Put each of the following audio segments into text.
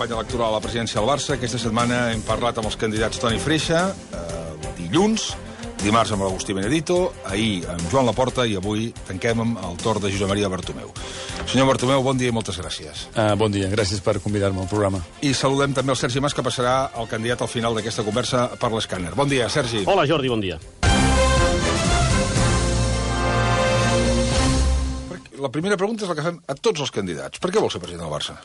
campanya electoral a la presidència del Barça. Aquesta setmana hem parlat amb els candidats Toni Freixa, dilluns, dimarts amb l'Agustí Benedito, ahir amb Joan Laporta i avui tanquem amb el torn de Josep Maria Bartomeu. Senyor Bartomeu, bon dia i moltes gràcies. Bon dia, gràcies per convidar-me al programa. I saludem també el Sergi Mas, que passarà el candidat al final d'aquesta conversa per l'escàner. Bon dia, Sergi. Hola, Jordi, bon dia. La primera pregunta és la que fem a tots els candidats. Per què vol ser president del Barça?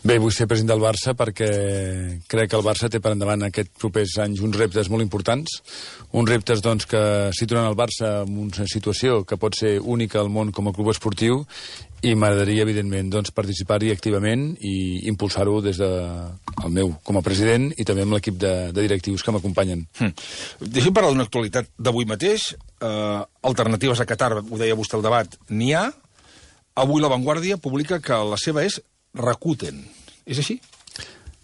Bé, vull ser president del Barça perquè crec que el Barça té per endavant aquests propers anys uns reptes molt importants, uns reptes doncs, que situen el Barça en una situació que pot ser única al món com a club esportiu i m'agradaria, evidentment, doncs, participar-hi activament i impulsar-ho des del meu com a president i també amb l'equip de directius que m'acompanyen. Deixem parlar d'una actualitat d'avui mateix. Alternatives a Qatar, ho deia vostè al debat, n'hi ha. Avui La Vanguardia publica que la seva és Rakuten. És així?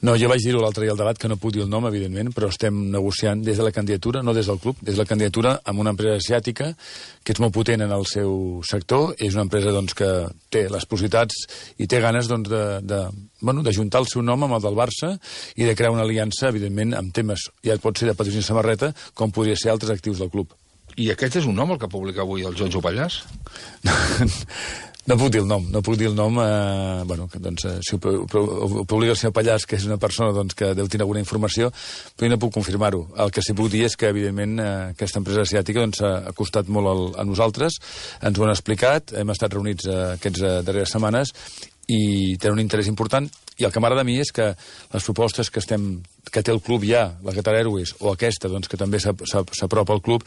No, jo vaig dir-ho l'altre dia al debat, que no puc dir el nom, evidentment, però estem negociant des de la candidatura, no des del club, des de la candidatura amb una empresa asiàtica que és molt potent en el seu sector. És una empresa doncs, que té les possibilitats i té ganes doncs, d'ajuntar el seu nom amb el del Barça i de crear una aliança, evidentment, amb temes, ja pot ser de patrocini samarreta, com podria ser altres actius del club. I aquest és un nom, el que publica avui el Jojo Pallàs? No puc dir el nom, si ho publica el senyor Pallàs, que és una persona doncs, que deu tenir alguna informació, però jo no puc confirmar-ho. El que sí puc dir és que, evidentment, aquesta empresa asiàtica doncs, ha costat molt a nosaltres, ens ho han explicat, hem estat reunits aquestes darreres setmanes i té un interès important, i el que m'agrada a mi és que les propostes que té el club ja, la Qatar Airways, o aquesta, doncs, que també s'apropa al club,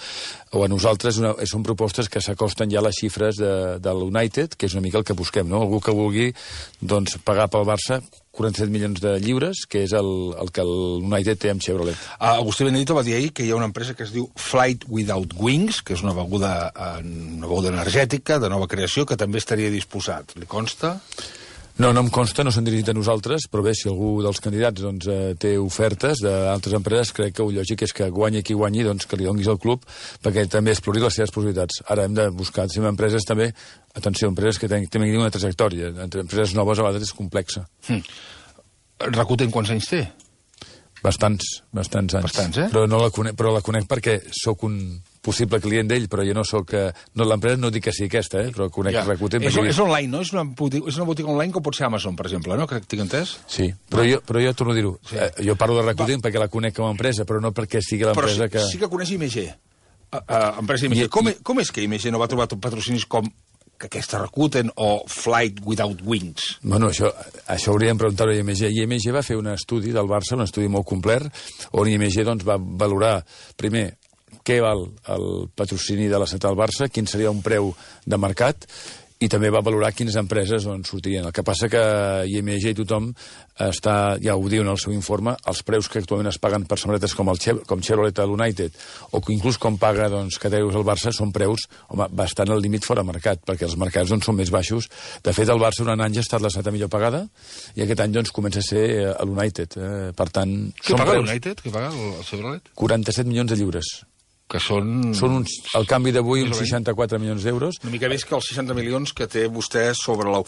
o a nosaltres, són propostes que s'acosten ja a les xifres de l'United, que és una mica el que busquem, no? Algú que vulgui doncs, pagar pel Barça 47 milions de lliures, que és el que l'United té amb Chevrolet. Agustí Benedito va dir ahir que hi ha una empresa que es diu Flight Without Wings, que és una beguda energètica de nova creació, que també estaria disposat. Li consta? No, no em consta, no s'han dirigit a nosaltres, però bé, si algú dels candidats doncs, té ofertes d'altres empreses, crec que el lògic és que guanyi qui guanyi, doncs, que li donis al club, perquè també explori les seves possibilitats. Ara hem de buscar, si empreses també, atenció, empreses que tinguin una trajectòria, entre empreses noves a vegades és complexa. Rakuten quants anys té? Bastants anys. Bastants, eh? Però la conec perquè sóc un possible client d'ell, però jo no sóc... l'empresa no dic que sigui aquesta, però conec Rakuten. És online, no? És una botiga online com pot ser Amazon, per exemple, no? Que tinc entès? Sí, però jo torno a dir-ho. Sí. Jo parlo de Rakuten perquè la conec com a empresa, però no perquè sigui l'empresa que... Però sí que coneix IMG. Empresa IMG. Com és que IMG no va trobar patrocinis com aquesta Rakuten o Flight Without Wings? Bueno, això hauríem de preguntar-ho a IMG. IMG va fer un estudi del Barça, un estudi molt complet, on IMG doncs, va valorar, primer, què val el patrocini de la Central Barça, quin seria un preu de mercat, i també va valorar quines empreses sortirien. El que passa que IMG i tothom ja ho diu en el seu informe, els preus que actualment es paguen per samarretes com Chevrolet a l'United, o inclús com paga Qatar Airways al Barça, són preus bastant al límit fora mercat, perquè els mercats són més baixos. De fet, el Barça durant anys ha estat la setena millor pagada, i aquest any comença a ser a l'United. Per tant... Què paga l'United? Què paga el Chevrolet? 47 milions de lliures. Que són... Al canvi d'avui, uns 64 milions d'euros. Una mica més que els 60 milions que té vostè sobre la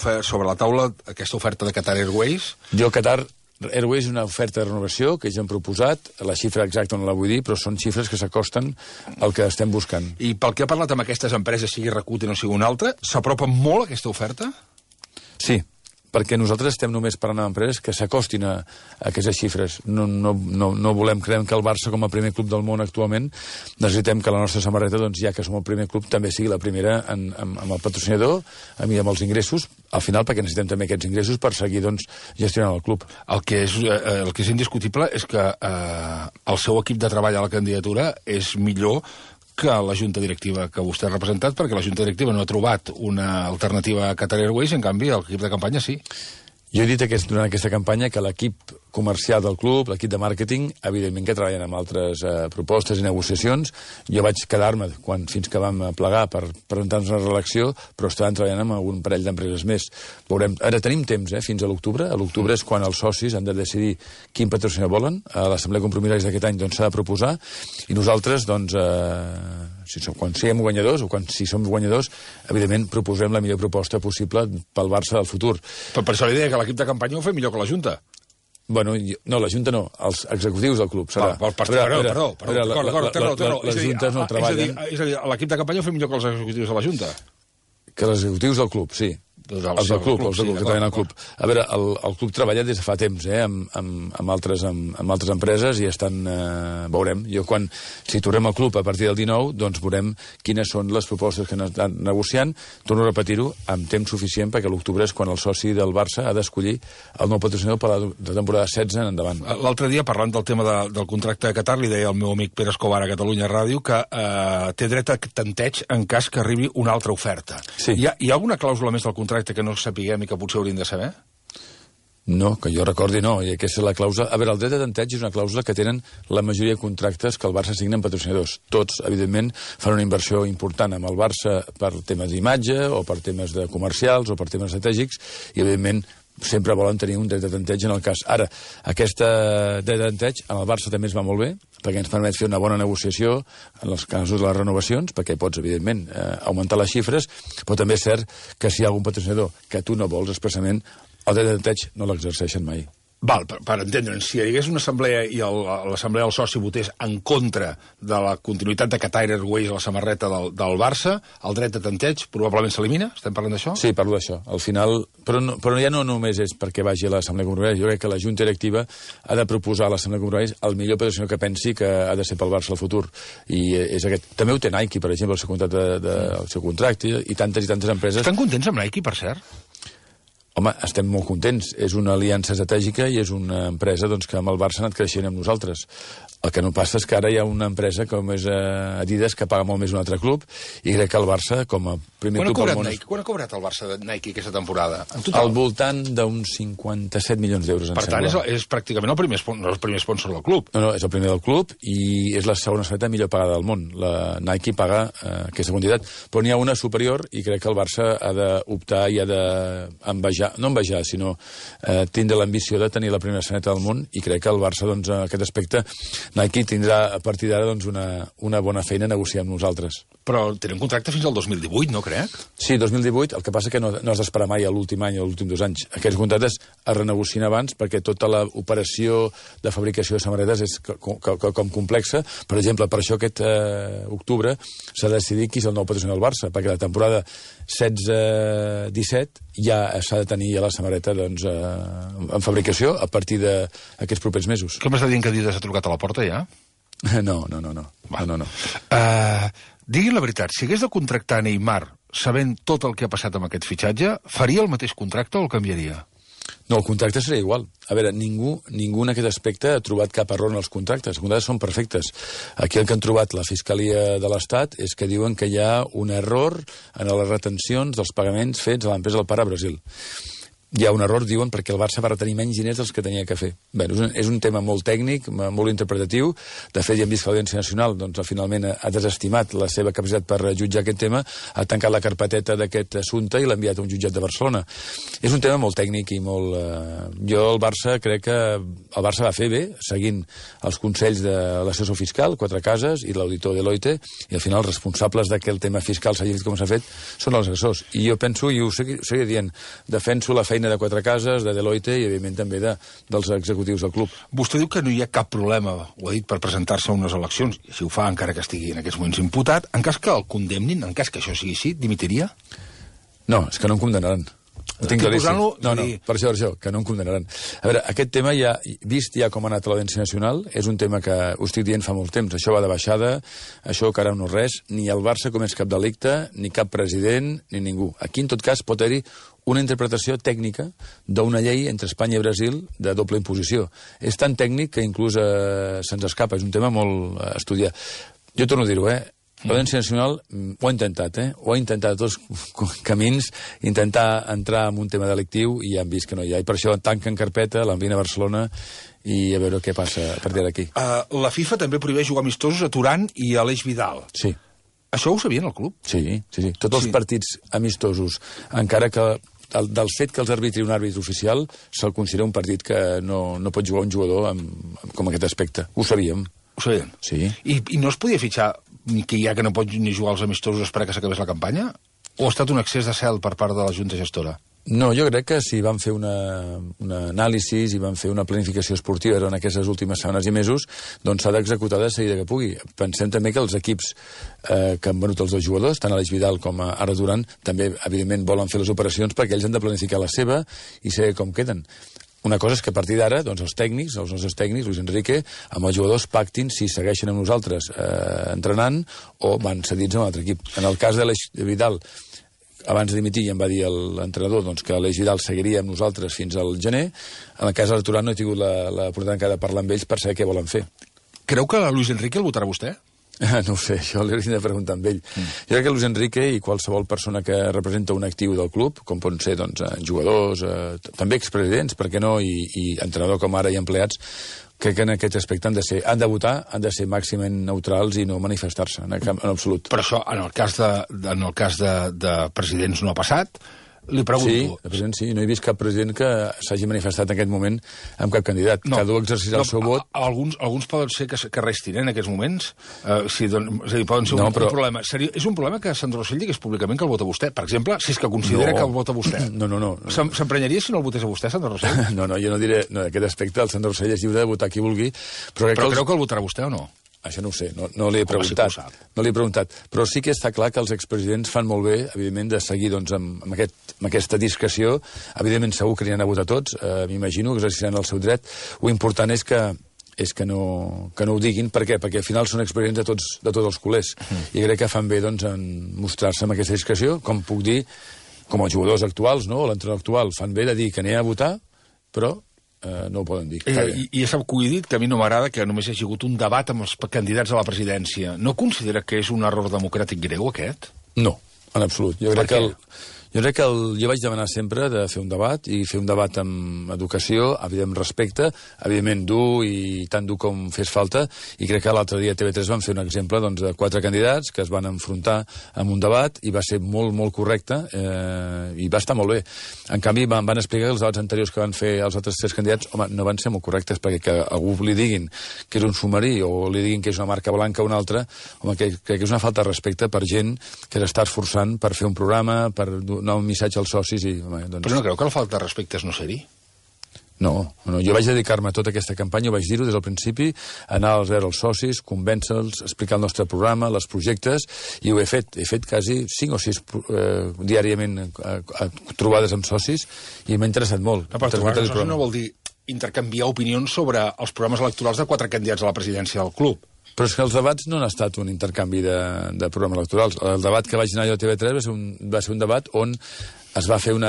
taula, aquesta oferta de Qatar Airways. Qatar Airways és una oferta de renovació que ja hem proposat, la xifra exacta no la vull dir, però són xifres que s'acosten al que estem buscant. I pel que ha parlat amb aquestes empreses, sigui Rakuten o sigui una altra, s'apropa molt aquesta oferta? Sí, perquè nosaltres estem només parlant amb empreses que s'acostin a aquestes xifres. No volem, creiem que el Barça, com a primer club del món actualment, necessitem que la nostra samarreta, doncs, ja que som el primer club, també sigui la primera amb el patrocinador, amb els ingressos, al final, perquè necessitem també aquests ingressos per seguir gestionant el club. El que és indiscutible és que el seu equip de treball a la candidatura és millor que la junta directiva que vostè ha representat, perquè la junta directiva no ha trobat una alternativa a Qatar Airways, en canvi l'equip de campanya sí. Jo he dit durant aquesta campanya que l'equip comercial del club, l'equip de màrqueting, evidentment que treballen amb altres propostes i negociacions. Jo vaig quedar-me fins que vam plegar per presentar-nos una reelecció, però estaven treballant amb algun parell d'empreses més. Veurem. Ara tenim temps, fins a l'octubre. A l'octubre és quan els socis han de decidir quin patrocinador volen. A l'Assemblea de Compromisaris d'aquest any s'ha de proposar, i nosaltres, quan siguem guanyadors, o si som guanyadors, evidentment proposem la millor proposta possible pel Barça del futur. Per això li deia que la l'equip de campanya ho fa millor que la Junta. Bueno, no, la Junta no, els executius del club. Perdó. Les juntes no treballen. És a dir, l'equip de campanya ho fa millor que els executius de la Junta. Que els executius del club, sí. Els del club, que treballen al club. A veure, el club treballa des de fa temps, amb altres empreses i estan... veurem. Si tornem al club a partir del 19, doncs veurem quines són les propostes que han estat negociant. Torno a repetir-ho, amb temps suficient, perquè l'octubre és quan el soci del Barça ha d'escollir el nou patrocinador per la temporada 16 en endavant. L'altre dia, parlant del tema del contracte de Qatar, li deia el meu amic Pere Escobar a Catalunya Ràdio que té dret a tanteig en cas que arribi una altra oferta. Sí. Hi ha alguna clàusula més del contracte que no sapiguem i que potser hauríem de saber? No, que jo recordi no, i aquesta és la clàusula... A veure, el dret de tanteig és una clàusula que tenen la majoria de contractes que el Barça signa amb patrocinadors. Tots, evidentment, fan una inversió important amb el Barça per temes d'imatge o per temes de comercials o per temes estratègics i, evidentment, sempre volen tenir un dret de tanteig en el cas. Ara, aquesta dret de tanteig en el Barça també ens va molt bé, perquè ens permet fer una bona negociació en els casos de les renovacions, perquè pots, evidentment, augmentar les xifres, però també és cert que si hi ha algun patrocinador que tu no vols expressament, el dret de tanteig no l'exerceixen mai. Val, per entendre'ns, si hi hagués una assemblea i l'assemblea del soci votés en contra de la continuïtat de Qatar Airways a la samarreta del Barça, el dret de tanteig probablement s'elimina? Estem parlant d'això? Sí, parlo d'això. Al final... Però ja no només és perquè vagi a l'assemblea comprovarés. Jo crec que la Junta Directiva ha de proposar a l'assemblea comprovarés el millor patrocinador que pensi que ha de ser pel Barça al futur. I és aquest. També ho té Nike, per exemple, el seu contracte, i tantes empreses... Estan contents amb Nike, per cert? Home, estem molt contents. És una aliança estratègica i és una empresa doncs, que amb el Barça ha anat creixent amb nosaltres. El que no passa és que ara hi ha una empresa com és Adidas que paga molt més un altre club i crec que el Barça, com a primer club al món... Quan ha cobrat el Barça de Nike aquesta temporada? Al voltant d'uns 57 milions d'euros, em sembla. Per tant, és pràcticament el primer sponsor del club. No, és el primer del club i és la segona atleta millor pagada del món. La Nike paga aquesta quantitat, però n'hi ha una superior i crec que el Barça ha d'optar i ha d'envejar, no envejar, sinó tindre l'ambició de tenir la primera atleta del món i crec que el Barça, doncs, en aquest aspecte, Nike tindrà a partir d'ara doncs, una bona feina a negociar amb nosaltres. Però tenen contracte fins al 2018, no crec? Sí, 2018, el que passa que no has d'esperar mai a l'últim any o a l'últim 2 anys. Aquests contractes es renegocien abans perquè tota l'operació de fabricació de samarretes és com complexa. Per exemple, per això aquest octubre s'ha decidit qui és el nou patrocinador del Barça, perquè la temporada 16-17 ja s'ha de tenir ja la samarreta doncs, en fabricació a partir d'aquests propers mesos. Què m'està dient que Adidas ha trucat a la porta ja? No. Diguin la veritat, si hagués de contractar Neymar sabent tot el que ha passat amb aquest fitxatge, faria el mateix contracte o el canviaria? No, el contracte seria igual. A veure, ningú en aquest aspecte ha trobat cap error en els contractes. Els contractes són perfectes. Aquí el que han trobat la Fiscalia de l'Estat és que diuen que hi ha un error en les retencions dels pagaments fets a l'empresa del pare a Brasil. Hi ha un error, diuen, perquè el Barça va retenir menys diners dels que tenia que fer. Bé, és un tema molt tècnic, molt interpretatiu. De fet, ja hem vist que l'Audiència Nacional doncs, finalment ha desestimat la seva capacitat per jutjar aquest tema, ha tancat la carpeteta d'aquest assumpte i l'ha enviat a un jutjat de Barcelona. És un tema molt tècnic i molt... Jo, el Barça, crec que el Barça va fer bé, seguint els consells de l'assessor fiscal, 4 cases, i l'auditor Deloitte, i al final els responsables de que el tema fiscal s'hagi fet com s'ha fet són els assessors. I jo penso, i ho seguiré dient, defenso la feina de 4 cases, de Deloitte i, evidentment, també dels executius del club. Vostè diu que no hi ha cap problema, ho ha dit, per presentar-se a unes eleccions, i si ho fa, encara que estigui en aquests moments imputat, en cas que el condemnin, en cas que això sigui així, dimitiria? No, és que no em condemnaran. Ho tinc claríssim. No, per això, que no em condemnaran. A veure, aquest tema vist ja com ha anat a l'Audiència Nacional, és un tema que ho estic dient fa molt temps. Això va de baixada, això que ara no és res, ni el Barça comés cap delicte, ni cap president, ni ningú. Aquí, en tot cas, pot haver-hi una interpretació tècnica d'una llei entre Espanya i Brasil de doble imposició. És tan tècnic que inclús se'ns escapa. És un tema molt estudiat. Jo torno a dir-ho, L'Audiència Nacional ho ha intentat, ho ha intentat a tots camins, intentar entrar en un tema delictiu i ja han vist que no hi ha. I per això tanquen carpeta, l'envien a Barcelona i a veure què passa a partir d'aquí. La FIFA també prohibeix jugar amistosos a Turan i a l'Eix Vidal. Sí. Això ho sabien al club? Sí. Tots els partits amistosos, encara que del fet que els arbitri un àrbitre oficial, se'l considera un partit que no pot jugar un jugador com aquest aspecte. Ho sabíem. Ho sabien? Sí. I no es podia fitxar que ja que no pot ni jugar als amistosos esperar que s'acabés la campanya? O ha estat un excés de cel per part de la Junta Gestora? No, jo crec que si van fer una anàlisi i van fer una planificació esportiva en aquestes últimes setmanes i mesos, doncs s'ha d'executar de seguida que pugui. Pensem també que els equips que han venut els dos jugadors, tant Aleix Vidal com Arda Duran, també, evidentment, volen fer les operacions perquè ells han de planificar la seva i saber com queden. Una cosa és que a partir d'ara, doncs els nostres tècnics, Luis Enrique, amb els jugadors pactin si segueixen amb nosaltres entrenant o van cedits a un altre equip. En el cas d'Aleix Vidal, abans de dimitir ja em va dir l'entrenador doncs, que Aleix Vidal seguiria amb nosaltres fins al gener. En el cas de Arda no he tingut l'oportunitat de parlar amb ells per saber què volen fer. Creu que Luis Enrique el votarà vostè? No ho sé, això l'hauria de preguntar amb ell. Jo crec que Luis Enrique i qualsevol persona que representa un actiu del club, com poden ser doncs, jugadors, també expresidents, per què no, i entrenador com ara i empleats, crec que en aquest aspecte han de votar, han de ser màximament neutrals i no manifestar-se, en absolut. Però això, en el cas de presidents no ha passat. Li pregunto... Sí, de president sí. No he vist cap president que s'hagi manifestat en aquest moment amb cap candidat. No, cada un exercirà el seu vot. Alguns poden ser que restin en aquests moments. És a dir, poden ser un problema. És un problema que Sandro Rosell digués públicament que el vota vostè. Per exemple, si és que considera que el vota vostè. No. S'emprenyaria si no el votés a vostè, Sandro Rosell? No, jo no diré... No, en aquest aspecte el Sandro Rosell és lliure de votar qui vulgui. Però creu que el votarà vostè o no? Això no ho sé, no li he preguntat. No li he preguntat. Però sí que està clar que els expresidents fan molt bé, evidentment, de seguir doncs, amb aquesta discreció. Evidentment, segur que n'hi han a votar tots, m'imagino, que exerciran el seu dret. Lo important és que no ho diguin. Per què? Perquè al final són expresidents de tots els culers. I crec que fan bé doncs, en mostrar-se amb aquesta discreció, com puc dir, com els jugadors actuals, no? L'entrenador actual, fan bé de dir que n'hi ha a votar, però no ho poden dir. I ja sap que ho he dit, que a mi no m'agrada que només hi hagi hagut un debat amb els candidats a la presidència. No considera que és un error democràtic greu, aquest? No, en absolut. Jo crec que jo vaig demanar sempre de fer un debat, i fer un debat amb educació, evidentment respecte, evidentment dur i tan dur com fes falta, i crec que l'altre dia a TV3 van fer un exemple doncs, de 4 candidats que es van enfrontar amb un debat i va ser molt, molt correcte i va estar molt bé. En canvi, van explicar que els debats anteriors que van fer els altres 3 candidats, home, no van ser molt correctes, perquè que algú li diguin que és un submarí o li diguin que és una marca blanca o una altra, home, crec que és una falta de respecte per gent que s'està esforçant per fer un programa, per donar un missatge als socis i... Home, doncs... Però no creu que la falta de respecte és no ser-hi? No, jo vaig dedicar-me a tota aquesta campanya, ho vaig dir-ho des del principi, anar a veure els socis, convèncer-los, explicar el nostre programa, els projectes, i ho he fet quasi 5 o 6 diàriament trobades amb socis, i m'ha interessat molt. No, però trobar socis no vol dir intercanviar opinions sobre els programes electorals de 4 candidats a la presidència del club. Però és que els debats no han estat un intercanvi de programes electorals. El debat que vaig anar jo a TV3 va ser un debat on es va fer un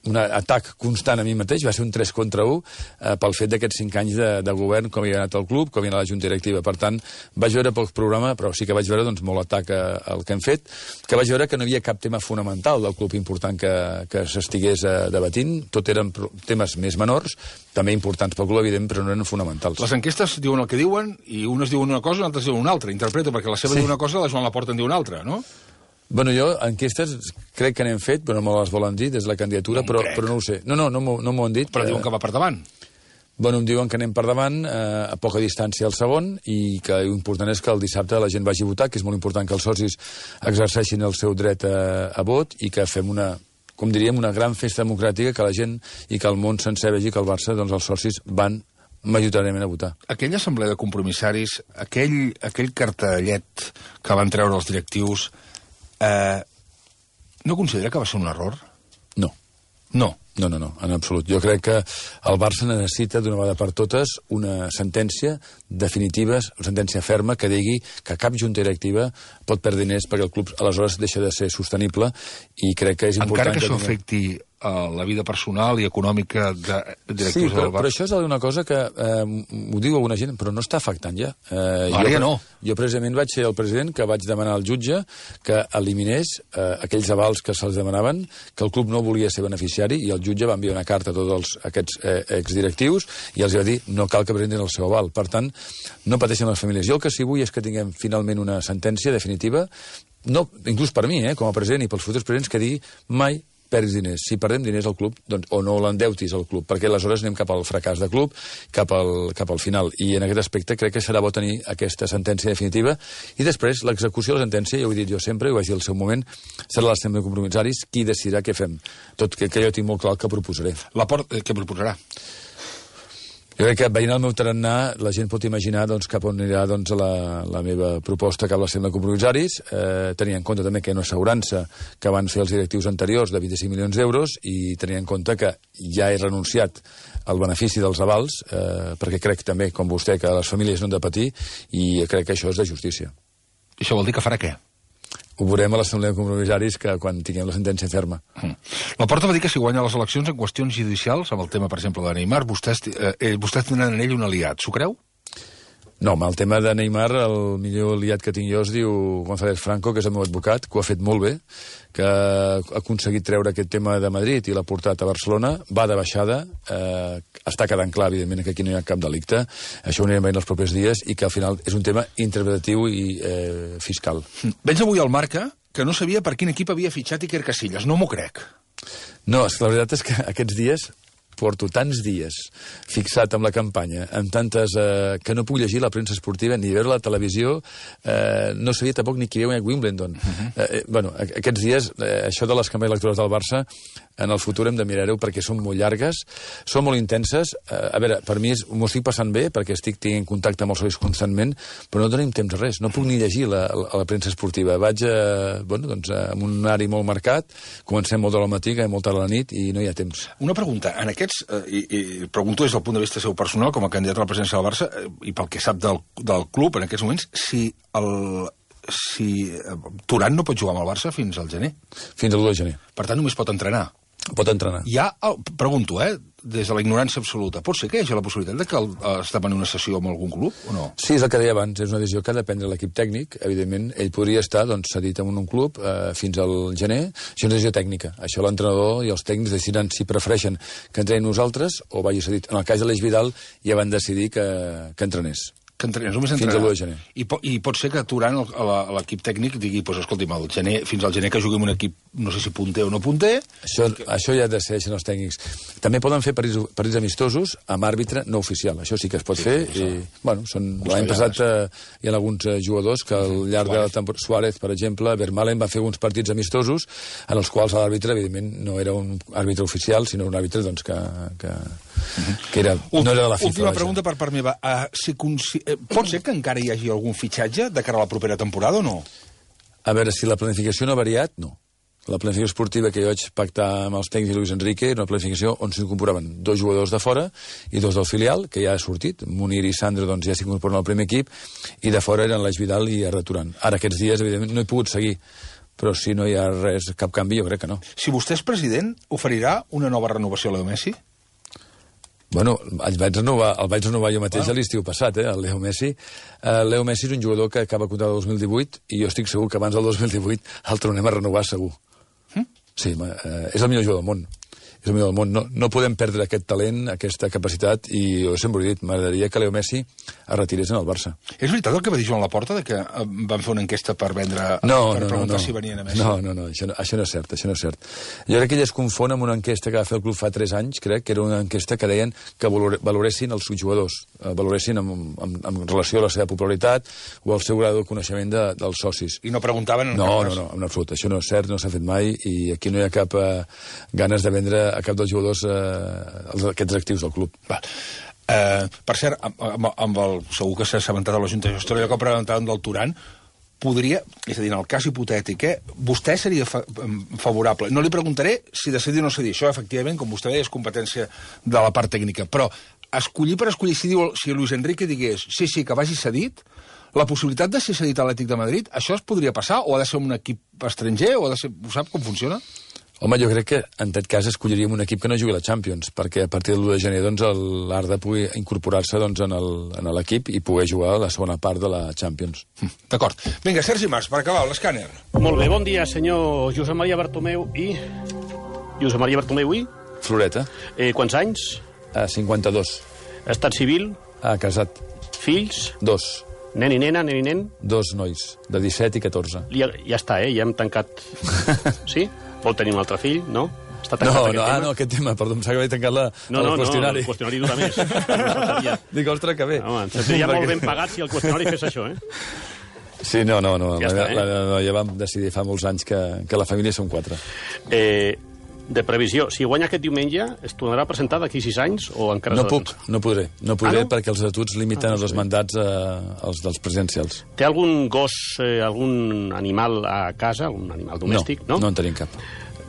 atac constant a mi mateix, va ser un 3 contra 1 pel fet d'aquests 5 anys de govern, com havia anat el club, com havia anat la Junta Directiva. Per tant, vaig veure poc programa, però sí que vaig veure doncs, molt atac al que hem fet, que vaig veure que no hi havia cap tema fonamental del club important que s'estigués debatint, tot eren temes més menors, també importants pel club, evident, però no eren fonamentals. Les enquestes diuen el que diuen, i unes diuen una cosa i altres diuen una altra. Interpreto, perquè la seva diu una cosa, la Joan Laporta en diu una altra, no? Bueno, jo, enquestes, crec que n'hem fet, però no me les volen dir des de la candidatura, però no ho sé. No m'ho han dit. Però diuen que va per davant. Bueno, em diuen que anem per davant, a poca distància al segon, i que l'important és que el dissabte la gent vagi a votar, que és molt important que els socis exerceixin el seu dret a vot, i que fem com diríem, una gran festa democràtica, que la gent i que el món sencer vegi que el Barça, doncs els socis van majoritàriament a votar. Aquella assemblea de compromissaris, aquell cartellet que van treure els directius, no considera que va ser un error? No. No, en absolut. Jo crec que el Barça necessita d'una vegada per totes una sentència definitiva, una sentència ferma que digui que cap junta directiva pot perdre diners perquè el club aleshores deixa de ser sostenible, i crec que és important... Encara que això afecti la vida personal i econòmica de directius del Barça. Però això és una cosa que ho diu alguna gent, però no està afectant ja. Ara ja no. Jo precisament vaig ser el president que vaig demanar al jutge que eliminés aquells avals que se'ls demanaven, que el club no volia ser beneficiari, i el jutge va enviar una carta a tots aquests exdirectius i els va dir no cal que presentin el seu aval. Per tant, no pateixen les famílies. Jo el que sí vull és que tinguem finalment una sentència definitiva, no, inclús per mi, com a president i pels futurs presidents, que digui mai perdis diners. Si perdem diners al club, doncs, o no l'endeutis al club, perquè aleshores anem cap al fracàs de club, cap al final. I en aquest aspecte crec que serà bo tenir aquesta sentència definitiva i després l'execució de la sentència, ja ho he dit jo sempre, ho vaig dir al seu moment, serà l'Assemblea de Compromissaris qui decidirà què fem. Tot que jo tinc molt clar el que proposaré. Què proposarà? Jo crec que veient el meu tarannà la gent pot imaginar doncs, cap on anirà doncs, la meva proposta cap a l'Assemblea de Compromissaris, tenint en compte també que hi ha una assegurança que van fer els directius anteriors de 25 milions d'euros i tenint en compte que ja he renunciat al benefici dels avals, perquè crec també, com vostè, que les famílies no han de patir i crec que això és de justícia. Això vol dir que farà què? Ho veurem a l'Assemblea de Compromissaris que quan tinguem la sentència ferma. La Porta va dir que si guanya les eleccions en qüestions judicials, amb el tema, per exemple, de Neymar, vostès tindran en ell un aliat. S'ho creu? No, amb el tema de Neymar, el millor aliat que tinc jo es diu González Franco, que és el meu advocat, que ho ha fet molt bé, que ha aconseguit treure aquest tema de Madrid i l'ha portat a Barcelona, va de baixada, està quedant clar, evidentment, que aquí no hi ha cap delicte, això ho anirem veient els propers dies, i que al final és un tema interpretatiu i fiscal. Veig avui al Marca que no sabia per quin equip havia fitxat Iker Casillas, no m'ho crec. No, la veritat és que aquests dies porto tants dies fixat amb la campanya, amb tantes... que no puc llegir la premsa esportiva ni veure la televisió, no sabia tampoc ni qui veu Wimbledon. Bueno, aquests dies, això de les campanyes electorals del Barça, en el futur hem de mirar-ho perquè són molt llargues, són molt intenses. A veure, per mi m'ho estic passant bé perquè estic tenint contacte amb els socis constantment, però no tenim temps res, no puc ni llegir la premsa esportiva. Vaig amb un horari molt marcat, comencem molt de la matí, molt tard a la nit i no hi ha temps. Una pregunta, en aquests, i pregunto des del punt de vista seu personal, com a candidat a la presidència del Barça, i pel que sap del club en aquests moments, si Turan no pot jugar amb el Barça fins al gener. Fins al 2 de gener. Per tant, només pot entrenar. Pot entrenar. Pregunto, des de la ignorància absoluta, pot ser que hi hagi la possibilitat de que es demani una sessió amb algun club o no? Sí, és el que deia abans, és una decisió que ha de prendre l'equip tècnic. Evidentment, ell podria estar cedit en un club fins al gener. Això és una decisió tècnica. Això l'entrenador i els tècnics decidiran si prefereixen que entrenin nosaltres o vagi cedit. En el cas de l'Eix Vidal ja van decidir que entrenés. Que entrenés, només fins al 1 de gener. I pot ser que Turan, l'equip tècnic, digui, escolti'm, fins al gener que jugui en un equip, no sé si punter o no punter... Això ja decideixen els tècnics. També poden fer partits amistosos amb àrbitre no oficial. Això sí que es pot fer. L'any passat hi ha alguns jugadors que al llarg de la temporada... Suárez, per exemple, Vermaelen va fer uns partits amistosos en els quals l'àrbitre, evidentment, no era un àrbitre oficial, sinó un àrbitre que no era de la FIFA. Última pregunta per part meva. Pot ser que encara hi hagi algun fitxatge de cara a la propera temporada o no? A veure, si la planificació no ha variat, no. La planificació esportiva que jo vaig pactar amb els tècnics i Luis Enrique era una planificació on s'incorporaven 2 jugadors de fora i 2 del filial, que ja ha sortit. Munir i Sandro ja s'incorporen al primer equip, i de fora eren l'Eix Vidal i Arda Turan. Ara, aquests dies, evidentment, no he pogut seguir, però si no hi ha res, cap canvi, jo crec que no. Si vostè és president, oferirà una nova renovació a Leo Messi? Bueno, el vaig renovar jo mateix a l'estiu passat, el Leo Messi. Leo Messi és un jugador que acaba contracte el 2018 i jo estic segur que abans del 2018 el tornem a renovar segur. Sí, és el millor jugador del món. És el millor del món. No podem perdre aquest talent, aquesta capacitat, i jo sempre he dit, m'agradaria que Leo Messi es retirés en el Barça. És veritat el que va dir Joan Laporta, de que van fer una enquesta per preguntar si venien a Messi? No, això no és cert, això no és cert. Jo crec que ell es confon amb una enquesta que va fer el club fa 3 anys, crec que era una enquesta que deien que valoressin els jugadors, valoressin en relació a la seva popularitat o al seu grau de coneixement dels socis. I no preguntaven en cap cas? No, en absolut, això no és cert, no s'ha fet mai, i aquí no hi ha cap ganes de vendre a cap dels jugadors aquests actius del club. Per cert, segur que s'ha assabentat a la Junta de Gestió, allò que preguntàvem del Turan, podria, és a dir, en el cas hipotètic, vostè seria favorable. No li preguntaré si decidir o no decidir. Això, efectivament, com vostè deia, és competència de la part tècnica. Però escollir per escollir, si Luis Enrique digués sí, que vagi cedit, la possibilitat de ser cedit a l'Atlètic de Madrid, això es podria passar? O ha de ser un equip estranger? Ho sap com funciona? Home, jo crec que en tot cas escolliríem un equip que no jugui a la Champions, perquè a partir del 1 de gener l'Arda pugui incorporar-se en l'equip i poder jugar a la segona part de la Champions. D'acord. Vinga, Sergi Mas, per acabar, l'escàner. Molt bé, bon dia, senyor Josep Maria Bartomeu i... Josep Maria Bartomeu i? Floreta. Quants anys? 52. Estat civil? Casat. Fills? 2. Nen i nena, nen i nen? 2 nois, de 17 i 14. Ja està, ja hem tancat. Sí? Vol tenir un altre fill, no? Està aquest tema, perdó, em sap que vaig tancar el qüestionari. No, el qüestionari dura més. Dic, ostres, que bé. Home, seria molt ben pagat si el qüestionari fes això, Sí, no. Ja està, Ja vam decidir fa molts anys que la família són 4. De previsió, si guanya aquest diumenge, es tornarà a presentar d'aquí 6 anys o encara... No podré, perquè els estatuts limiten els mandats als dels presidencials. Té algun gos, algun animal a casa, un animal domèstic, no? No en tenim cap.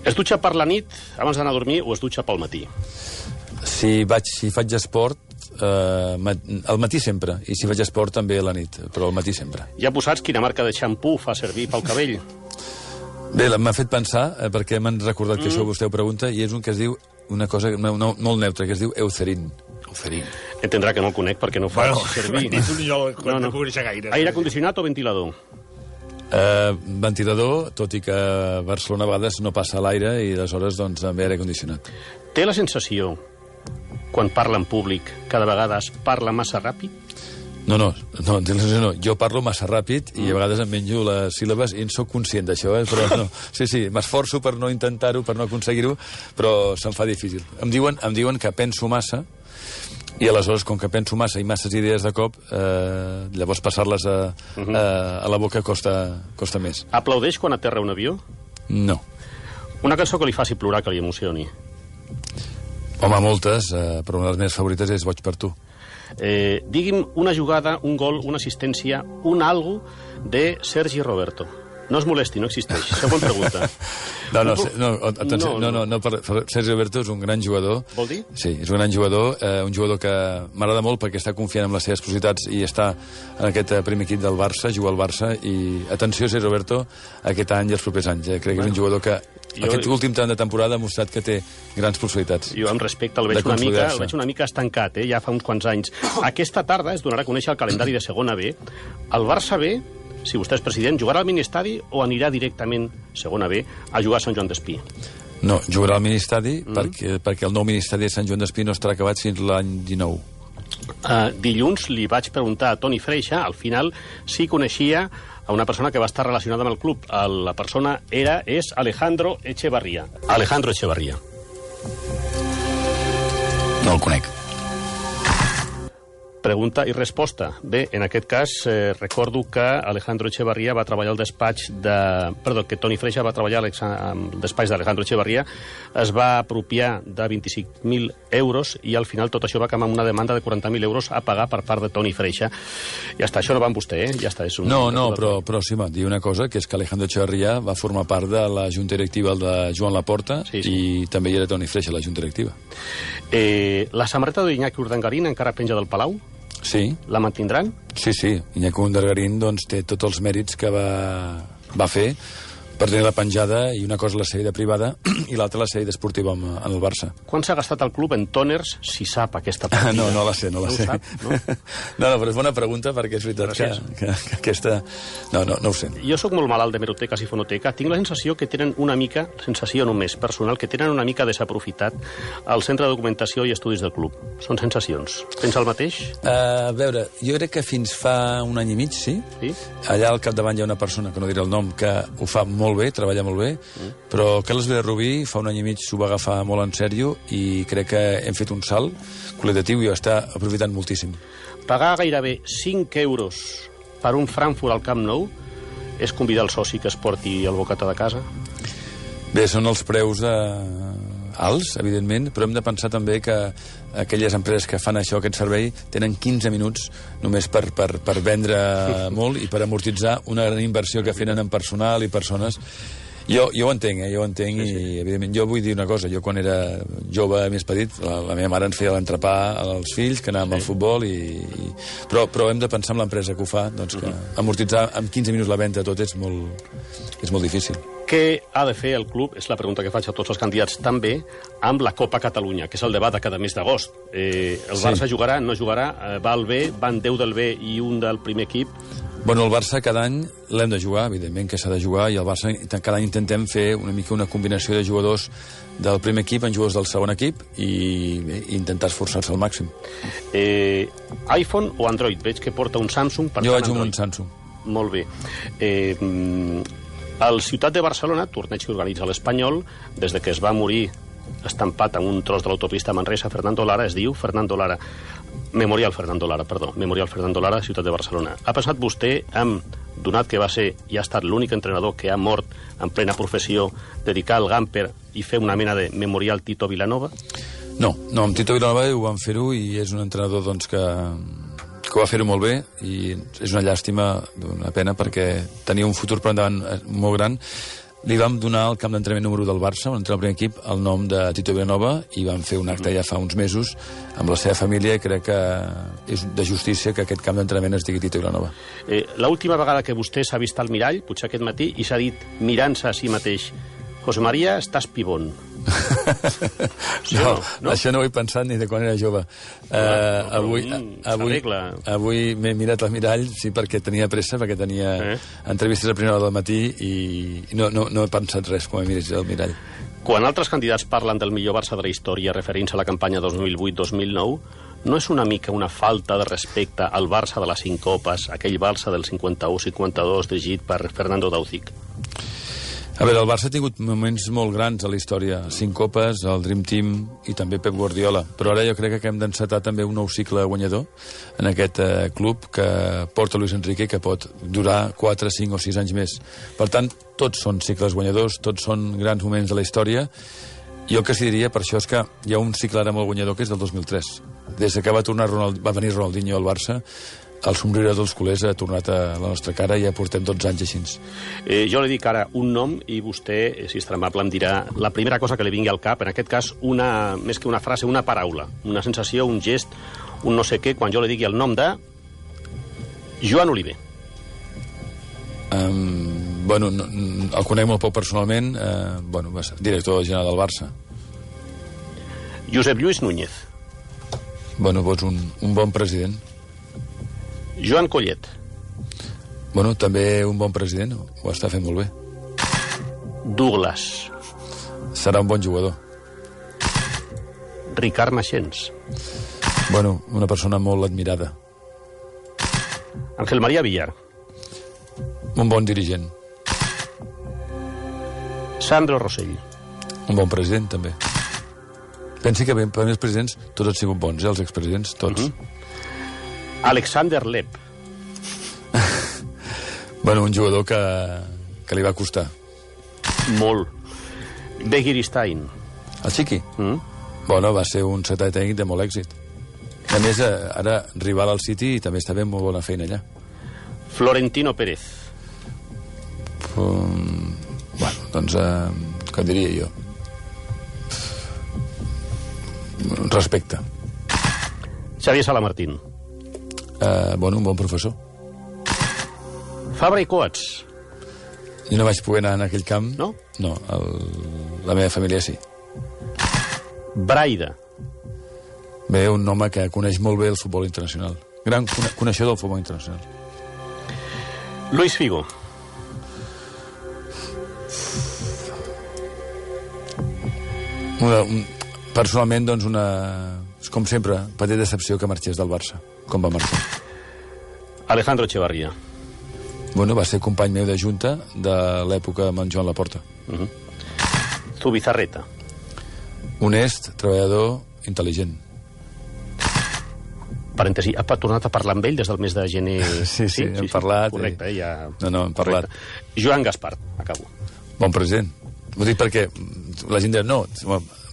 Es dutxa per la nit abans d'anar a dormir o es dutxa pel matí? Si faig esport, al matí sempre, i si faig esport també a la nit, però al matí sempre. Ja posats quina marca de xampú fa servir pel cabell? Bé, m'ha fet pensar, perquè m'han recordat que això vostè ho pregunta, i és un que es diu, una cosa molt neutra, que es diu Eucerin. Entendrà que no el conec perquè no ho faig servir. No coneixer gaire. Aire condicionat o ventilador? Ventilador, tot i que a Barcelona a vegades no passa l'aire i aleshores doncs també aire condicionat. Té la sensació, quan parla en públic, que de vegades parla massa ràpid? No, jo parlo massa ràpid i a vegades em menjo les síl·labes i en soc conscient d'això, però no. Sí, m'esforço per no intentar-ho, per no aconseguir-ho, però se'm fa difícil. Em diuen que penso massa i aleshores, com que penso massa i masses idees de cop, llavors passar-les a la boca costa més. Aplaudeix quan aterra un avió? No. Una cançó que li faci plorar, que li emocioni? Home, moltes, però una de les meves favorites és Boig per tu. Digui'm una jugada, un gol, una assistència, un algo de Sergi Roberto. No es molesti, no existeix. Següent pregunta. Sergi Roberto és un gran jugador. Vol dir? Sí, és un gran jugador, un jugador que m'agrada molt perquè està confiant en les seves possibilitats i està en aquest primer equip del Barça, juga al Barça, i atenció, Sergi Roberto, aquest any i els propers anys. Crec que és un jugador que aquest últim tram de temporada ha mostrat que té grans possibilitats. Jo, amb respecte, el veig una mica estancat, ja fa uns quants anys. Aquesta tarda es donarà a conèixer el calendari de segona B. El Barça B, si vostè és president, jugarà al Ministadi o anirà directament, segona B, a jugar a Sant Joan d'Espí? No, jugarà al Ministadi perquè el nou Ministadi de Sant Joan d'Espí no estarà acabat fins l'any 19. Dilluns li vaig preguntar a Toni Freixa, al final, si coneixia a una persona que va estar relacionada amb el club. La persona és Alejandro Echevarría. Alejandro Echevarría. No el conec. Pregunta i resposta. Bé, en aquest cas, recordo que Alejandro Echevarría va treballar al despatx que Toni Freixa va treballar al despatx d'Alejandro Echevarría, es va apropiar de 25.000 euros i al final tot això va acabar amb una demanda de 40.000 euros a pagar per part de Toni Freixa. Ja està, això no va amb vostè, Ja està. Però sí, dir una cosa, que és que Alejandro Echevarría va formar part de la junta directiva de Joan Laporta i també hi era Toni Freixa, la junta directiva. La samarreta d'Iñaki Urdangarín encara penja del Palau? Sí. La mantindran? Sí. Iñaki Urdangarín té tots els mèrits que va fer per tenir la penjada, i una cosa la sèrie privada i l'altra la sèrie esportiva en el Barça. Quan s'ha gastat el club en tòners, si sap aquesta partida? No la sé. No ho sap, no? No, però és bona pregunta, perquè és veritat que aquesta... No ho sé. Jo sóc molt malalt d'hemeroteques i fonoteca. Tinc la sensació que tenen una mica, sensació només personal, que tenen una mica desaprofitat el Centre de Documentació i Estudis del club. Són sensacions. Pensa el mateix? A veure, jo crec que fins fa un any i mig, sí. Allà al capdavant hi ha una persona, que no diré el nom, que ho fa molt bé, treballa molt bé, però Carles Villarrubí fa un any i mig s'ho va agafar molt en sèrio i crec que hem fet un salt qualitatiu i ho està aprofitant moltíssim. Pagar gairebé 5 euros per un Frankfurt al Camp Nou és convidar el soci que es porti el bocata de casa? Bé, són els preus alts, evidentment, però hem de pensar també que aquelles empreses que fan això, aquest servei, tenen 15 minuts només per vendre molt i per amortitzar una gran inversió que fenen en personal i persones. Jo ho entenc, i evidentment jo vull dir una cosa, jo quan era jove més petit, la meva mare ens feia l'entrepà als fills, que anàvem al futbol, però hem de pensar en l'empresa que ho fa, doncs que amortitzar en 15 minuts la venda tot és molt difícil. Què ha de fer el club, és la pregunta que faig a tots els candidats, també amb la Copa Catalunya, que és el debat de cada mes d'agost. El Barça jugarà, no jugarà, va al B, van 10 del B i un del primer equip. Bueno, el Barça cada any l'hem de jugar, evidentment que s'ha de jugar, i el Barça cada any intentem fer una mica una combinació de jugadors del primer equip en jugadors del segon equip i intentar esforçar-se al màxim. iPhone o Android? Veig que porta un Samsung. Jo vaig amb un Samsung. Molt bé. Al Ciutat de Barcelona, torneig que organitza l'Espanyol, des de que es va morir estampat en un tros de l'autopista Manresa, Fernando Lara, es diu Fernando Lara. Memorial Fernando Lara, Ciutat de Barcelona. Ha passat vostè amb, donat que va ser i ha estat l'únic entrenador que ha mort en plena professió, dedicar el Gamper i fer una mena de memorial Tito Vilanova? No, amb Tito Vilanova ho vam fer-ho i és un entrenador doncs, que va fer-ho molt bé i és una llàstima, una pena, perquè tenia un futur per endavant molt gran. Li vam donar al camp d'entrenament número 1 del Barça, on entra el primer equip, el nom de Tito Vilanova, i vam fer un acte ja fa uns mesos amb la seva família, i crec que és de justícia que aquest camp d'entrenament es digui Tito Vilanova. L'última vegada que vostè s'ha vist al mirall, potser aquest matí, i s'ha dit, mirant-se a si mateix, José María, estàs pibón. No, això no ho he pensat ni de quan era jove. Avui m'he mirat al mirall, sí, perquè tenia pressa, perquè tenia entrevistes a primera hora del matí i no he pensat res quan he mirat al mirall. Quan altres candidats parlen del millor Barça de la història referint-se a la campanya 2008-2009, no és una mica una falta de respecte al Barça de les 5 copes, aquell Barça del 51-52 dirigit per Fernando Dauzic? A veure, el Barça ha tingut moments molt grans a la història. 5 copes, el Dream Team i també Pep Guardiola. Però ara jo crec que hem d'encetar també un nou cicle guanyador en aquest club que porta Luis Enrique, que pot durar 4, 5 o 6 anys més. Per tant, tots són cicles guanyadors, tots són grans moments de la història. Jo el que sí diria per això és que hi ha un cicle ara molt guanyador que és del 2003. Des que va venir Ronaldinho al Barça, el somriure dels culers ha tornat a la nostra cara i ja portem 12 anys així. Jo li dic ara un nom i vostè, si és tan amable, em dirà la primera cosa que li vingui al cap, en aquest cas, més que una frase, una paraula, una sensació, un gest, un no sé què, quan jo li digui el nom de Joan Oliver. El conec molt poc personalment, va ser director general del Barça. Josep Lluís Núñez. Doncs un bon president. Joan Collet. També un bon president, ho està fent molt bé. Douglas. Serà un bon jugador. Ricard Maxens. Una persona molt admirada. Ángel María Villar. Un bon dirigent. Sandro Rosell. Un bon president, també. Pensi que per mi els presidents tots han sigut bons, els expresidents, tots. Alexander Lepp. Un jugador que li va costar. Molt. Begiristain. El Chiqui? Va ser un secretari tècnic de molt èxit. A més, ara rival al City i també està fent molt bona feina allà. Florentino Pérez. Què diria jo? Respecte. Xavier Salamartín. Un bon professor. Fabra i Coats. Jo no vaig poder anar en aquell camp. No? No, la meva família sí. Braida. Un home que coneix molt bé el futbol internacional. Gran coneixedor del futbol internacional. Luis Figo. Personalment, com sempre, petita decepció que marxés del Barça, com va marxar. Alejandro Echevarría. Va ser company meu de junta de l'època amb en Joan Laporta. Zubizarreta. Honest, treballador, intel·ligent. Parèntesi, ha tornat a parlar amb ell des del mes de gener? Sí, hem parlat. Correcte, ja... No, hem parlat. Joan Gaspar, acabo. Bon president. Ho dic perquè la gent diu, no,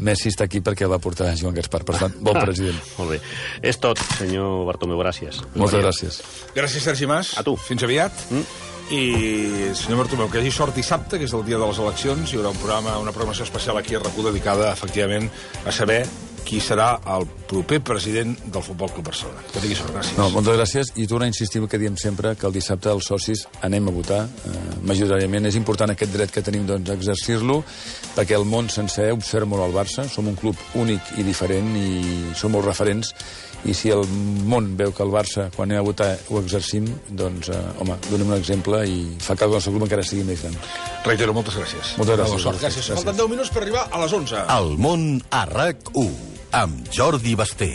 Messi està aquí perquè el va portar Joan Gaspar, per tant, bon president. Molt bé. És tot, senyor Bartomeu, gràcies. Moltes gràcies. Gràcies, Sergi Mas. A tu. Fins aviat. I, senyor Bartomeu, que hi hagi sort dissabte, que és el dia de les eleccions, hi haurà una programació especial aquí a RAC1 dedicada, efectivament, a saber qui serà el proper president del Futbol Club Barcelona. Que tingui sort, gràcies. Moltes gràcies, i torno a insistir el que diem sempre, que el dissabte els socis anem a votar, majoritàriament. És important aquest dret que tenim, a exercir-lo, perquè el món sencer observa molt el Barça, som un club únic i diferent, i som molt referents, i si el món veu que el Barça, quan anem a votar, ho exercim, donem un exemple i fa que el nostre club encara sigui més gran. Reitero, moltes gràcies. Moltes gràcies. Gràcies. Falten 10 minuts per arribar a les 11. El món a RAC1, amb Jordi Basté.